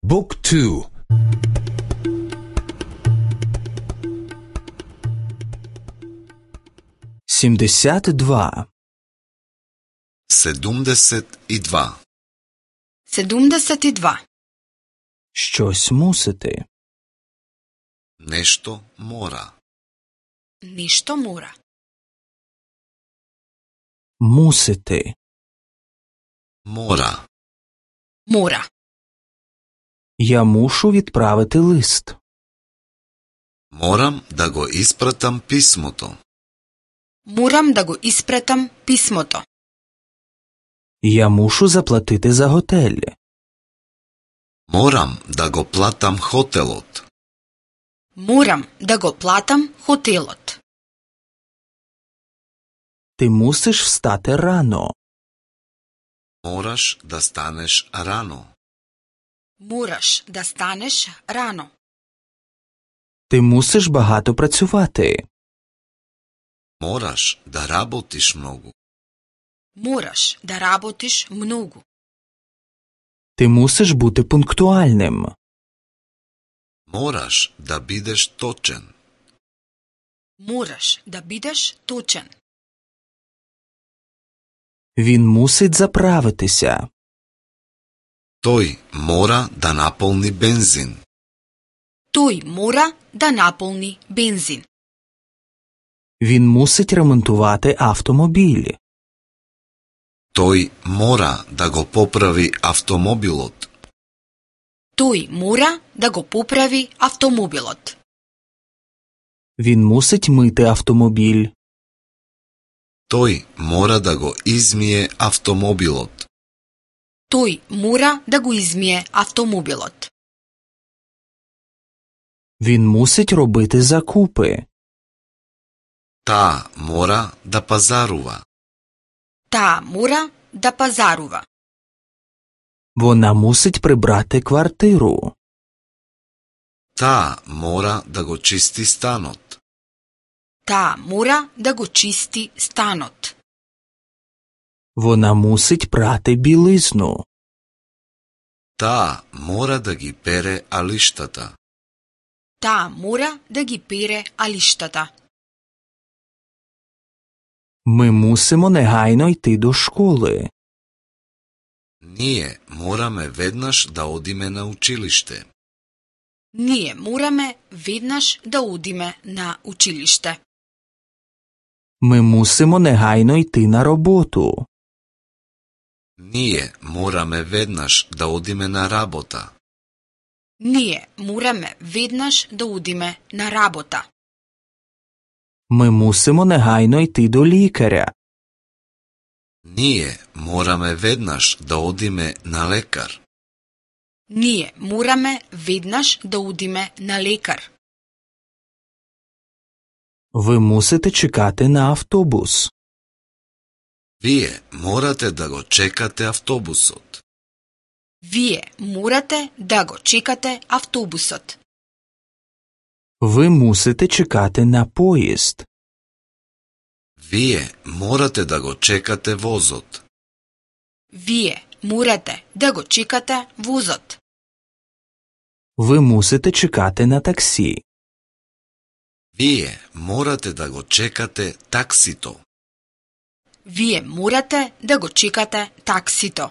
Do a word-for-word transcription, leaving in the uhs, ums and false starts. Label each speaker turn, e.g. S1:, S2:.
S1: Book two.
S2: сімдесят два.
S3: седумдесет и два.
S4: седумдесет и два.
S2: Щось мусити.
S3: Нешто мора.
S4: Нешто мора.
S2: Мусити.
S3: Мора.
S4: Мора.
S2: Я мушу відправити лист.
S3: Морам да го испратам писмото.
S4: Морам да го испратам писмото.
S2: Я мушу заплатити за готель.
S3: Морам да го платам хотелот.
S4: Морам да го платам хотелот.
S2: Ти мусиш встати рано.
S3: Мораш да станеш рано.
S4: Мораш да станеш рано.
S2: Ти мусиш багато працювати.
S3: Мораш да работиш многу.
S4: Мораш да работиш многу.
S2: Ти мусиш бути пунктуальним.
S3: Мораш да бидеш точен.
S4: Мораш да бидеш точен.
S2: Він мусить заправитися.
S3: Тој мора да наполни бензин.
S4: Тој мора да наполни бензин.
S2: Він мусить ремонтувати автомобіль.
S3: Тој мора да го поправи автомобилот.
S4: Тој мора да го поправи автомобилот.
S2: Він мусить мити автомобіль.
S3: Тој мора да го измие автомобилот.
S4: Тој мора да го измие автомобилот.
S2: Він мусить робити закупи.
S3: Таа мора да пазарува.
S4: Таа мора да пазарува.
S2: Вона мусить прибрати квартиру.
S3: Таа мора да го чисти станот.
S4: Таа мора да го чисти станот.
S2: Вона мусить прати білизну.
S3: Таа мора да ги пере алиштата.
S4: Таа мора да ги пере алиштата.
S2: Ми мусимо негайно йти до школи.
S3: Ние мораме веднаш да одиме на училиште.
S4: Ние мораме веднаш да одиме на училиште.
S2: Ми мусимо негайно йти на роботу.
S3: Ние мораме веднаш да одиме на работа.
S4: Ние мораме веднаш да одиме на работа.
S2: Ми мусимо негайно йти до лікаря.
S3: Ние мораме веднаш да одиме на лекар.
S4: Ние мораме веднаш да одиме на лекар.
S2: Ви мусите чекати на автобус.
S3: Вие морате да го чекате автобусот.
S4: Вие морате да го чекате автобусот.
S2: Ви мусите чекати на поїзд.
S3: Вие морате да го чекате возот.
S4: Вие морате да го чекате возот.
S2: Ви мусите чекати на таксі.
S3: Вие морате да го чекате таксито.
S4: Вие морате да го чекате таксито.